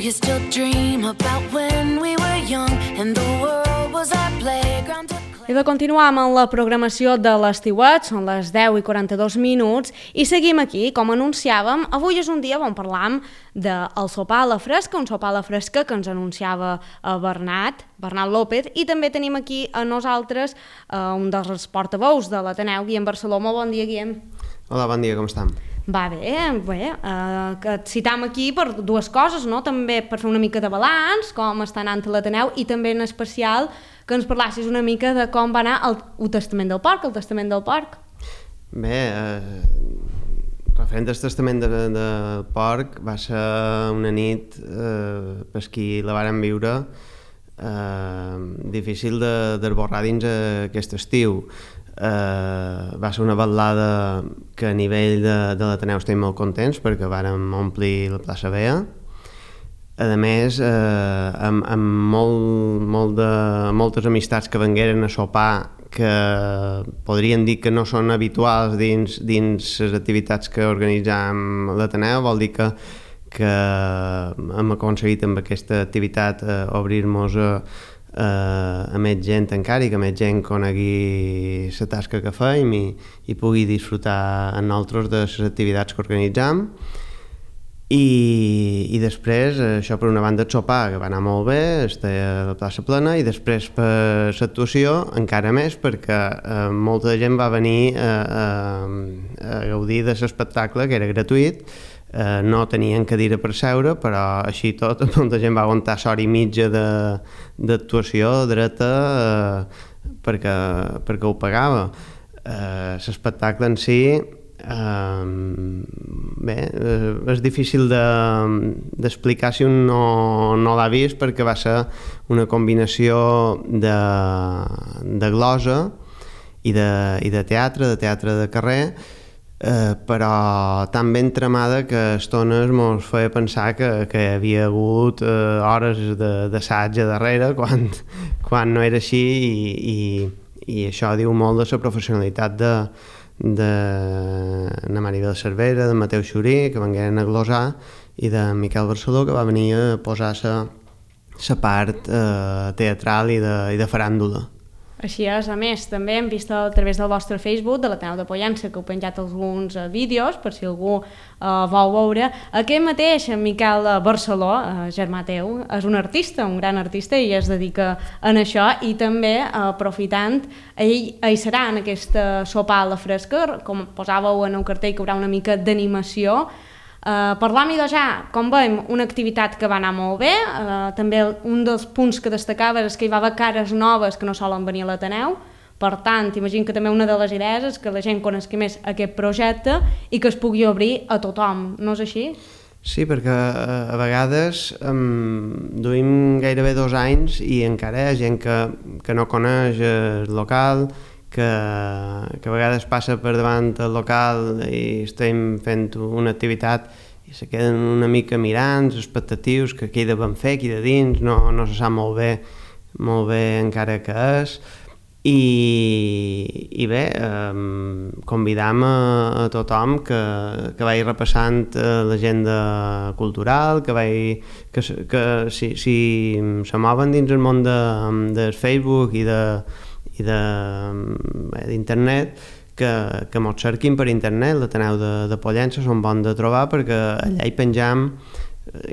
you still dream about when we were young and the world was our playground to play? I de continuar amb la programació de l'estiuet, són les 10:42 minuts, i seguim aquí, com anunciàvem. Avui és un dia on parlam del sopar a la fresca, un sopar a la fresca que ens anunciava Bernat López, i també tenim aquí a nosaltres un dels portaveus de l'Ateneu, Guillem Barceló. Molt bon dia, Guillem. Hola, bon dia, com estem? Va bé, que et citam aquí per dues coses, no? També per fer una mica de balanç, com està anant l'Ateneu, i també en especial que ens parlassis una mica de com va anar el Testament del Porc, Bé, referent al Testament del Porc, va ser una nit, per qui la vàrem viure, difícil d'esborrar dins aquest estiu. Va ser una vetllada que a nivell de l'Ateneu estem molt contents perquè vàrem omplir la plaça Bea. A més, amb moltes amistats que vengueren a sopar que podríem dir que no són habituals dins les activitats que organitzam a l'Ateneu, vol dir que hem aconseguit amb aquesta activitat obrir-nos a més gent encara i que més gent conegui la tasca que fem i pugui disfrutar amb nosaltres de les activitats que organitzam. I després, això per una banda el sopar, que va anar molt bé, estava a la plaça plena, i després per l'actuació encara més, perquè molta gent va venir a gaudir de l'espectacle, que era gratuït. No tenien cadira per seure, però així tot molta gent va aguantar l'hora i mitja d'actuació dreta perquè ho pagava. L'espectacle en si, bé, és difícil d'explicar si un no l'ha vist, perquè va ser una combinació de glosa i de teatre de carrer, però tan ben tramada que a estones mos feia pensar que hi havia hagut hores d'assaig a darrere quan no era així, i això diu molt de la professionalitat de na Maribel Cervera, de Mateu Xurí, que vengueren a glosar, i de Miquel Barceló, que va venir a posar la part teatral i de faràndula. Així és, a més, també hem vist a través del vostre Facebook, de l'Ateneu de Pollença, que heu penjat alguns vídeos, per si algú vol veure. Aquest mateix, Miquel Barceló, germà teu, és un artista, un gran artista, i es dedica a això, i també, aprofitant, ell serà en aquesta sopar a la fresca, com posàveu en un cartell que hi haurà una mica d'animació. Parlam-hi de ja, com veiem, una activitat que va anar molt bé. També un dels punts que destacava és que hi va haver cares noves que no solen venir a l'Ateneu. Per tant, imagino que també una de les idees és que la gent conegui més aquest projecte i que es pugui obrir a tothom, no és així? Sí, perquè a vegades duim gairebé 2 anys i encara hi ha gent que no coneix el local, que a vegades passa per davant el local i estem fent una activitat i se queden una mica mirant, expectatius, que aquí de ben fer, aquí de dins, no se sap molt bé encara què és. I bé, convidam a tothom que vagi repassant l'agenda cultural, que si se mouen dins el món del Facebook i d'internet, que mos cerquin per internet. L'Ateneu de Pollença són bons de trobar, perquè allà hi penjam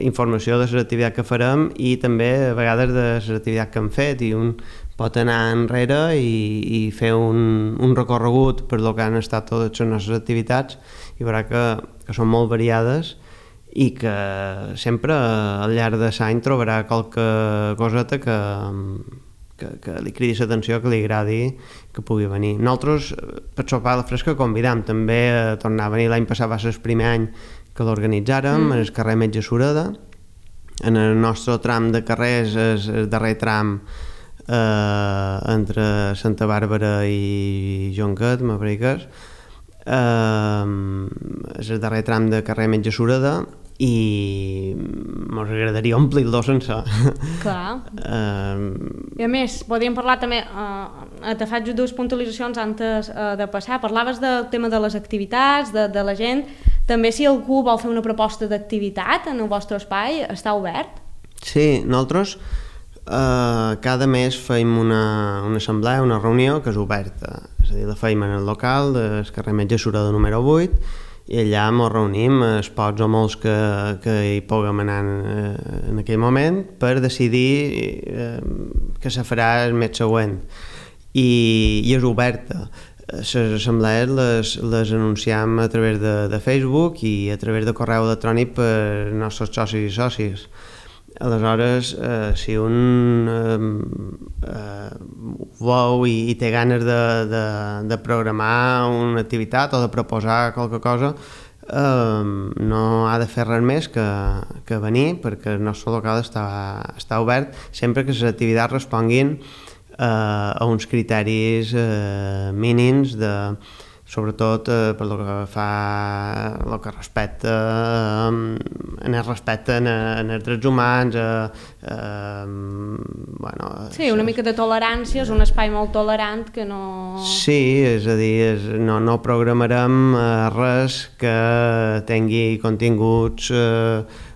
informació de les activitats que farem i també a vegades de les activitats que hem fet, i un pot anar enrere i fer un recorregut per lo que han estat totes les nostres activitats, i veurà que són molt variades i que sempre al llarg de l'any trobarà qualque coseta que li cridi l'atenció, que li agradi, que pugui venir. Nosaltres, per sopar a la fresca, convidam també a tornar a venir. L'any passat va ser el primer any que l'organitzàrem, en el carrer Metge Sureda. En el nostre tram de carrers és el darrer tram entre Santa Bàrbara i Jonquet, m'apareix que és. És el darrer tram de carrer Metge Sureda, i m'agradaria omplir-lo sense. Clar. I a més, podríem parlar també, te faig dues puntualitzacions antes de passar. Parlaves del tema de les activitats, de la gent. També si algú vol fer una proposta d'activitat en el vostre espai, està obert? Sí, nosaltres cada mes feim una assemblea, una reunió que és oberta, és a dir, la feim en el local del carrer Metge Sureda número 8 i allà ens reunim, els pocs o molts que hi puguem anar en aquell moment per decidir què se farà el mes següent i és oberta. Les assemblees les anunciam a través de Facebook i a través de correu electrònic per als nostres socis i sòcies. Aleshores, si un vol i té ganes de programar una activitat o de proposar qualque cosa, no ha de fer res més que venir, perquè el nostre local està obert sempre que les activitats responguin a uns criteris mínims sobretot per lo que fa el que respecta en el respecte en els drets humans sí, una mica de tolerància, és un espai molt tolerant que no... Sí, és a dir, no programarem res que tingui continguts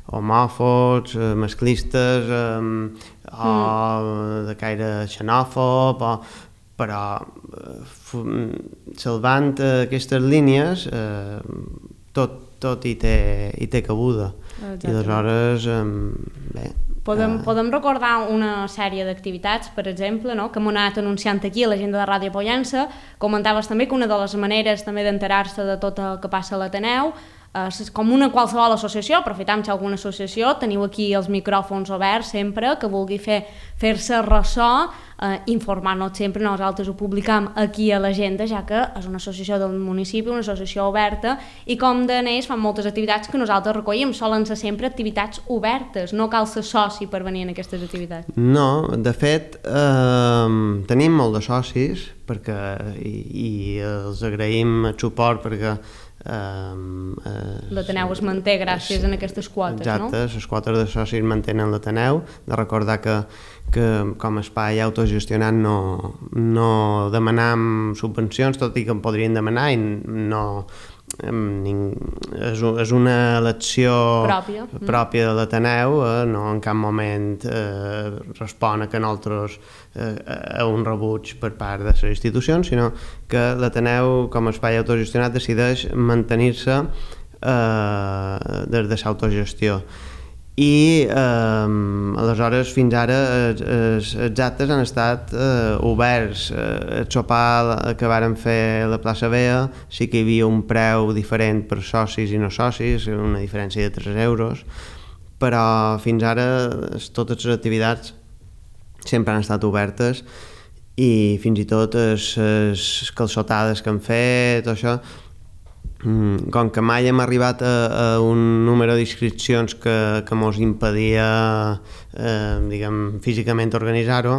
homòfobs, masclistes o de caire xenòfob però salvant aquestes línies tot hi té cabuda. I aleshores bé, Podem recordar una sèrie d'activitats, per exemple, no? Que hem anat anunciant aquí a l'agenda de Ràdio Pollença. Comentaves també que una de les maneres també d'enterar-se de tot el que passa a l'Ateneu és com una qualsevol associació, aprofitam si alguna associació, teniu aquí els micròfons oberts sempre, que vulgui fer-se ressò, informar-nos sempre, nosaltres ho publicam aquí a l'agenda, ja que és una associació del municipi, una associació oberta, i com d'anells fan moltes activitats que nosaltres recollim, solen ser sempre activitats obertes, no cal ser soci per venir en aquestes activitats. No, de fet, tenim molt de socis, i els agraïm el suport perquè l'Ateneu es manté gràcies a aquestes quotes, exacte, no? Les quotes de socis mantenen l'Ateneu, de recordar que com a espai autogestionat no demanam subvencions, tot i que en podrien demanar i no... és una elecció pròpia de l'Ateneu, no en cap moment respon a que nosaltres a un rebuig per part de les institucions, sinó que l'Ateneu com a espai autogestionat decideix mantenir-se des de l'autogestió. I aleshores fins ara els actes han estat oberts. El sopar que vàrem fer a la plaça Bea sí que hi havia un preu diferent per socis i no socis, una diferència de 3 euros, però fins ara totes les activitats sempre han estat obertes i fins i tot les calçotades que han fet, això, com que mai hem arribat a un número d'inscripcions que mos impedia físicament organitzar-ho,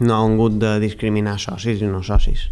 no hem hagut de discriminar socis i no socis.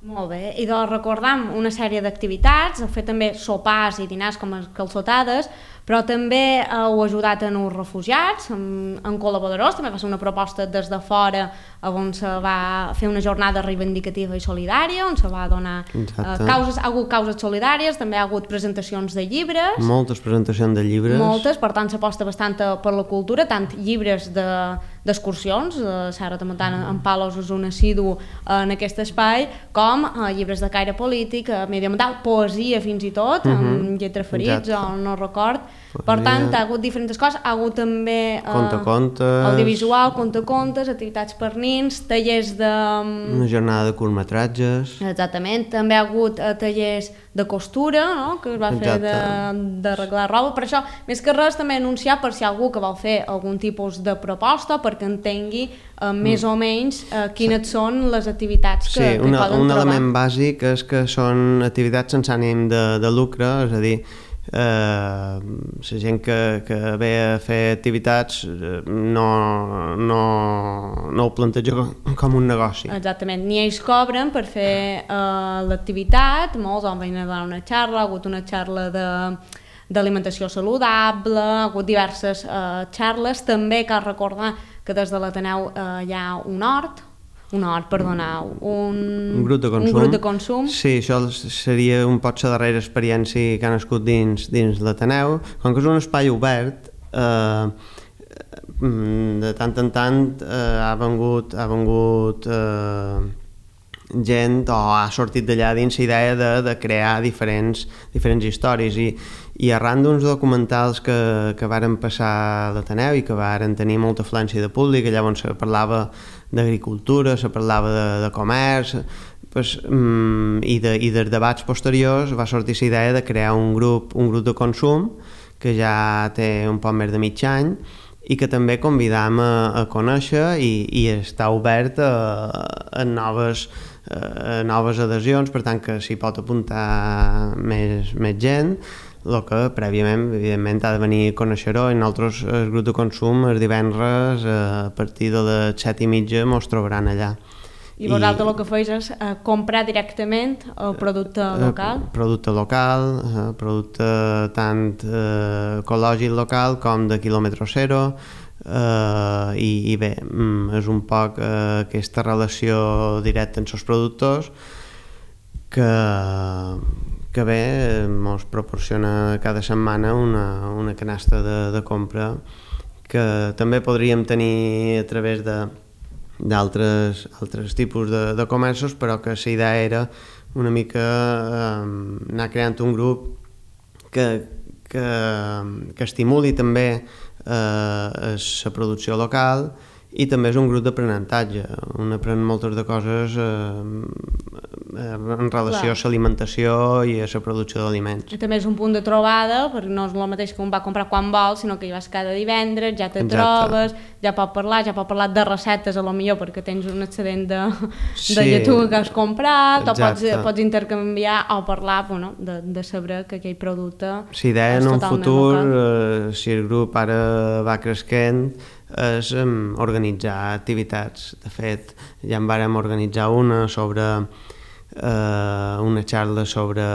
Molt bé, i doncs recordam una sèrie d'activitats, heu fet també sopars i dinars com calçotades, però també heu ajudat en els refugiats, en col·laboradors, també va ser una proposta des de fora on se va fer una jornada reivindicativa i solidària, on se va donar causes, ha hagut causes solidàries, també ha hagut presentacions de llibres. Moltes presentacions de llibres. Moltes, per tant s'aposta bastant per la cultura, tant llibres d'excursions, Serra Tramuntana en Palos és un assidu en aquest espai, com llibres de caire polític, mediambiental, poesia fins i tot, amb lletra ferits o no record. Per tant, ha hagut diferents coses, ha hagut també audiovisual, contacontes, activitats per nins, tallers de... Una jornada de curtmetratges. Exactament, també ha hagut tallers de costura, no? Que es va fer d'arreglar roba. Per això, més que res, també anunciar per si algú que vol fer algun tipus de proposta perquè entengui més o menys quines són les activitats que poden trobar. Sí, un element bàsic és que són activitats sense ànim de lucre, és a dir, la gent que ve a fer activitats no ho planteja com un negoci. Exactament, ni ells cobren per fer l'activitat, molts van venir a donar una xarra, ha hagut una xarra d'alimentació saludable, ha hagut diverses xarres, també cal recordar que des de l'Ateneu hi ha un hort una hora, perdoneu, un grup de consum. Un grup de consum. Sí, això seria un pot la darrera experiència que ha nascut dins l'Ateneu. Com que és un espai obert, de tant en tant ha vengut gent o ha sortit d'allà dins la idea de crear diferents històries i arran d'uns documentals que varen passar a l'Ateneu i que varen tenir molta afluència de públic, allà on se parlava d'agricultura, se parlava de comerç, pues, i dels debats posteriors va sortir la idea de crear un grup de consum que ja té un poc més de mig any i que també convidam a conèixer i està obert a noves adhesions, per tant que s'hi pot apuntar més gent, el que prèviament evidentment ha de venir a conèixer-ho. I nosaltres, el grup de consum, els divendres a partir de les 7:30 mos trobaran allà. I vosaltres el que feis és comprar directament el producte local? Producte local, producte tant ecològic local com de quilòmetre zero, i bé, és un poc aquesta relació directa amb els productors que bé, ens proporciona cada setmana una canasta de compra que també podríem tenir a través d'altres tipus de comerços, però que la idea era una mica anar creant un grup que estimuli també la producció local i també és un grup d'aprenentatge. Un aprèn moltes de coses en relació a l'alimentació i a la producció d'aliments. I també és un punt de trobada, perquè no és el mateix que un va comprar quan vol, sinó que hi vas cada divendres, ja te trobes, ja pot parlar de receptes, a lo millor perquè tens un excedent de lletuga que has comprat, o pots intercanviar o parlar de saber que aquell producte si idea en un futur, si el grup ara va creixent, és organitzar activitats. De fet, ja en vàrem organitzar una xarra sobre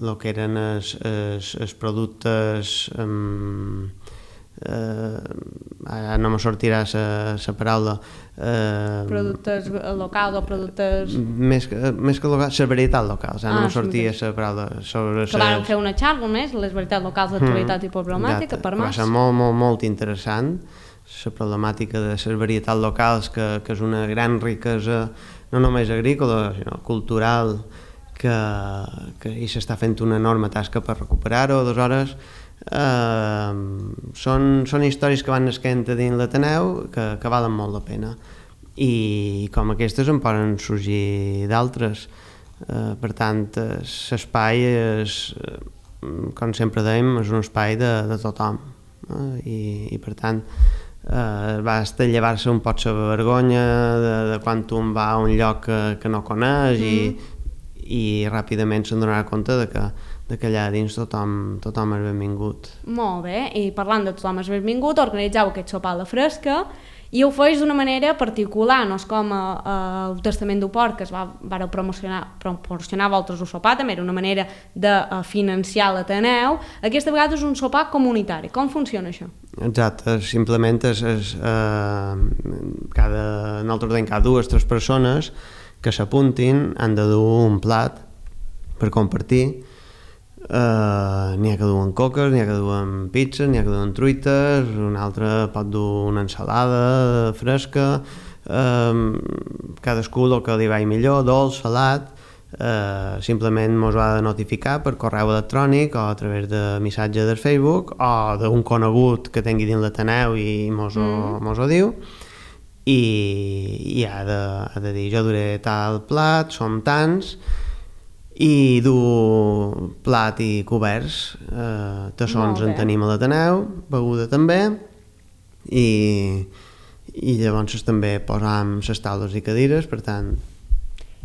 el que eren els productes, ara no me sortirà la paraula, productes locals o productes... Més que locals, la varietat locals, no me sortia la paraula. Que van fer una xarra més, les varietats locals d'actualitat i problemàtica, per va ser molt interessant, la problemàtica de les varietats locals, que és una gran riquesa, no només agrícola, sinó cultural, que s'està fent una enorme tasca per recuperar-ho. Aleshores, són històries que van nasquent a dins l'Ateneu que valen molt la pena, i com aquestes en poden sorgir d'altres. Per tant, l'espai és, com sempre dèiem, és un espai de tothom, i per tant va llevar-se un pot la vergonya de quan un va a un lloc que no coneix, i ràpidament se'n donarà compte de que allà dins tothom és benvingut. Molt bé, i parlant de tothom és benvingut, organitzeu aquest sopar a la fresca i ho feis d'una manera particular, no és com el Testament d'Uport, que es va proporcionar vosaltres un sopar, també era una manera de financiar l'Ateneu. Aquesta vegada és un sopar comunitari. Com funciona això? Exacte, simplement nosaltres tenim cada 2 o 3 persones que s'apuntin, han de dur un plat per compartir. N'hi ha que duen coques, n'hi ha que duen pizzas, n'hi ha que duen truites, un altre pot dur una ensalada fresca, cadascú el que li vagi millor, dolç, salat. Simplement mos ho ha de notificar per correu electrònic o a través de missatge del Facebook o d'un conegut que tingui dins l'Ateneu i mos ho diu, i ha de dir jo duré tal plat, som tants, i dur plat i coberts, tassons en tenim a l'Ateneu, beguda també, i llavors també posam les taules i cadires, per tant...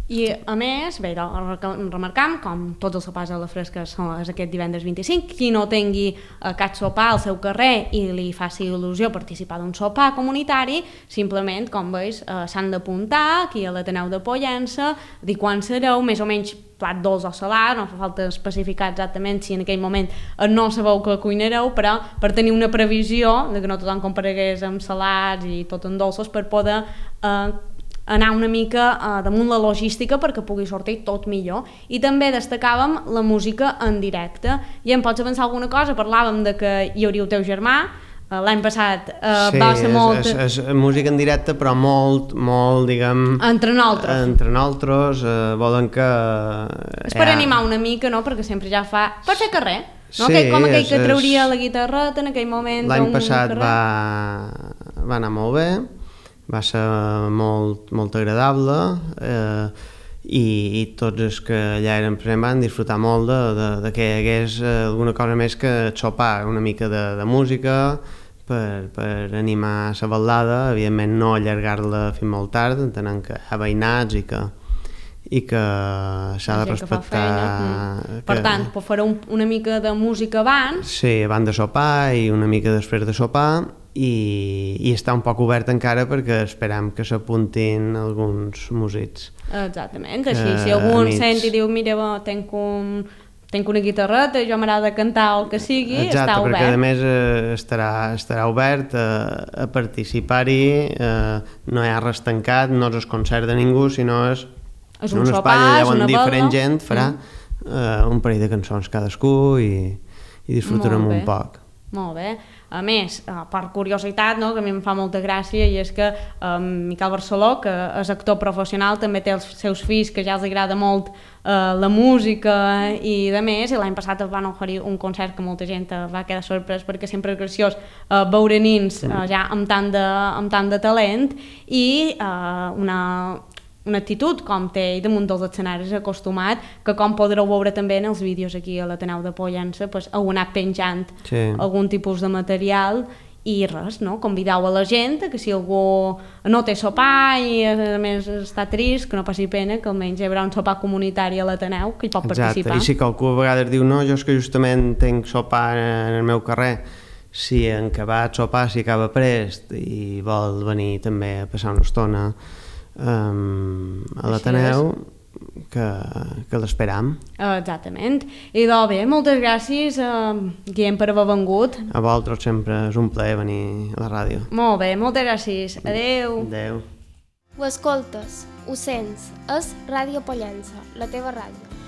I a més, bé, remarcam, com tots els sopars a la fresca és aquest divendres 25, qui no tingui cap sopar al seu carrer i li faci il·lusió participar d'un sopar comunitari, simplement, com veus, s'han d'apuntar aquí a l'Ateneu de Pollença, dir quan sereu, més o menys plat dolç o salat, no fa falta especificar exactament si en aquell moment no sabeu que cuinareu, però per tenir una previsió de que no tothom comparegués amb salats i tot en dolços, per poder anar una mica damunt la logística perquè pugui sortir tot millor. I també destacàvem la música en directe. I em pots avançar alguna cosa? Parlàvem de que hi hauria el teu germà, l'any passat va ser molt... Sí, és música en directe, però molt, diguem... Entre nosaltres. Volen que... És per animar una mica, no?, perquè sempre ja fa... Per fer carrer, no? Sí, Com aquell que trauria la guitarreta en aquell moment... L'any passat va anar molt bé, va ser molt agradable, i tots els que allà eren presents van disfrutar molt de que hi hagués alguna cosa més que sopar, una mica de música per animar la ballada, evidentment no allargar-la fins molt tard, entenent que hi ha veïnats i que s'ha de respectar... Per tant, farà una mica de música abans... Sí, abans de sopar i una mica després de sopar, i està un poc obert encara perquè esperam que s'apuntin alguns músics. Exactament, així si algú sent i diu mira, tenc una guitarreta, jo m'agrada cantar o el que sigui, està obert. Perquè a més estarà obert a participar-hi, no hi ha res tancat, no és el concert de ningú, sinó és un espai allà on diferent gent farà un parell de cançons cadascú i disfrutarem un poc. Molt bé. A més, per curiositat, no, que a mi em fa molta gràcia, i és que Miquel Barceló, que és actor professional, també té els seus fills que ja els agrada molt la música i de més, i l'any passat es van oferir un concert que molta gent va quedar sorprès perquè sempre és graciós veure nins ja amb tant de talent i una actitud com té i damunt dels escenaris acostumat, que com podreu veure també en els vídeos aquí a l'Ateneu de Pollença, pues, heu anat penjant algun tipus de material i res, no? Convideu a la gent que si algú no té sopar i a més està trist, que no passi pena, que almenys hi haurà un sopar comunitari a l'Ateneu que hi pot participar. I si qualcú a vegades diu no, jo és que justament tenc sopar en el meu carrer, si en acabat sopar, si acaba prest i vol venir també a passar una estona a l'Ateneu, que l'esperam. Exactament. I doncs bé, moltes gràcies, Guillem, per haver vengut. A vosaltres sempre és un plaer venir a la ràdio. Molt bé, moltes gràcies. Adeu. Adeu. Ho escoltes, ho sents, és Ràdio Pollença, la teva ràdio.